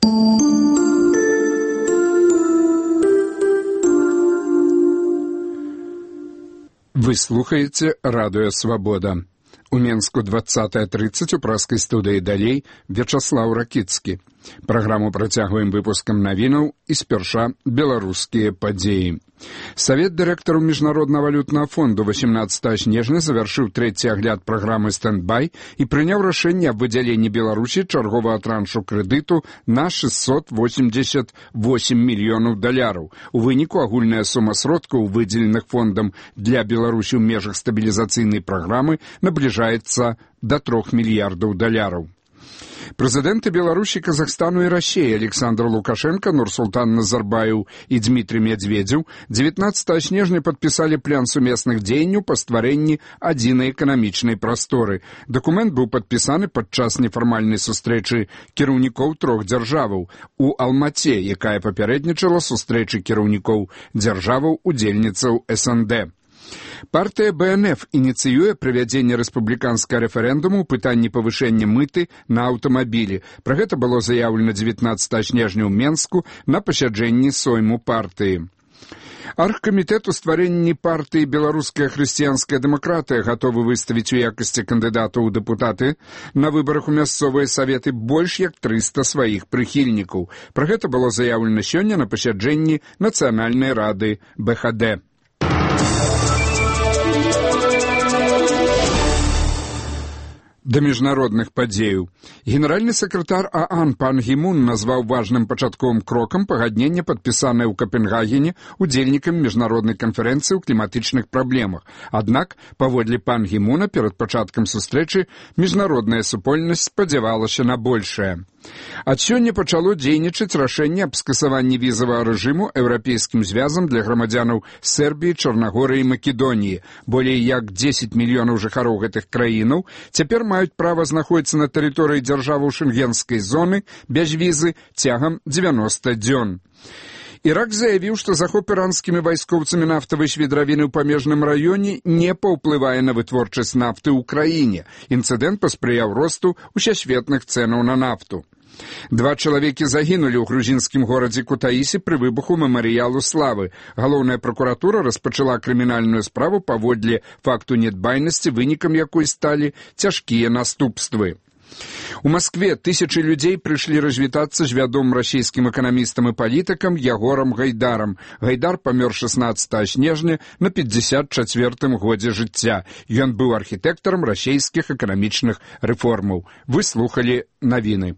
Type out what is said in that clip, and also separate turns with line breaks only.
Вы слухаеце радыё «Свабода». У Менску 20:30 у праскай студыі далей Вячаслаў Ракіцкі. Праграму працягваем выпускам навінаў і спярша беларускія падзеі. Савет дырэктараў Міжнароднага валютнага фонду 18 снежня завяршыў трэці агляд праграмы «Стэндбай» і прыняў рашэнне аб выдзяленні Беларусі чарговага траншу крэдыту на $688 мільёнаў. У выніку агульная сума сродкаў, выдзеленых фондам для Беларусі ў межах стабілізацыйнай праграмы, набліжаецца да $3 мільярдаў. Прэзідэнты Беларусі, Казахстану і Расіі Александр Лукашенко, Нурсултан Назарбаев і Дмітрий Медведзеў 19 снежня падпісалі план сумесных дзеянняў па стварэнні адзінай эканамічнай прасторы. Дакумент быў падпісаны падчас нефармальнай сустрэчы кіраўнікоў трох дзяржаваў у Алмаце, якая папярэднічала сустрэчы кіраўнікоў дзяржаваў удзельніцаў СНД. Партыя БНФ ініцыюе правядзенне рэспубліканскага рэферэндуму ў пытанні павышэння мыты на аўтамабілі. Пра гэта было заяўлена 19 снежня ў Менску на пасяджэнні сойму партыі. Аргкамітэт у стварэнні партыі «Беларуская хрысціянская дэмакратыя» гатовы выставіць у якасці кандыдатаў у дэпутаты на выбарах у мясцовыя саветы больш як 300 сваіх прыхільнікаў. Пра гэта было заяўлена сёння на пасяджэнні Нацыянальнай рады БХД. Да міжнародных падзеяў. Генеральны сакратар ААН Пан Гі Мун назваў важным пачатковым крокам пагаднення, падпісанае ў Капенгагене удзельнікамі міжнароднай канферэнцыі ў кліматычных праблемах. Аднак, паводле Пан Гі Муна, перад пачаткам сустрэчы міжнародная супольнасць спадзявалася на большае. Ад сёння пачало дзейнічаць рашэнне аб скасаванні візавага рэжыму еўрапейскім звязам для грамадзянаў Сербіі, Чарнагорыі і Македоніі. Болей як 10 мільёнаў жыхароў гэтых краінаў цяпер маюць права знаходзіцца на тэрыторыі дзяржаваў шэнгенскай зоны без візы цягам 90 дзён. Ірак заявіў, што захоп іранскімі вайскоўцамі нафтавай шведравіны ў памежным раёне не паўплывае на вытворчасць нафты ў краіне. Інцыдэнт паспрыяў росту усесветных цэнаў на нафту. 2 чалавекі загінулі ў грузінскім горадзе Кутаісі пры выбуху мемарыялу славы. Галоўная пракуратура распачала крымінальную справу паводле факту нядбайнасці, вынікам якой сталі цяжкія наступствы. У Маскве тысячы людзей прыйшлі развітацца з вядомым расійскім эканамістам і палітыкам Ягорам Гайдарам. Гайдар памёр 16 снежня на 54-м годзе жыцця. Ён быў архітэктарам расійскіх эканамічных рэформаў. Вы слухалі навіны.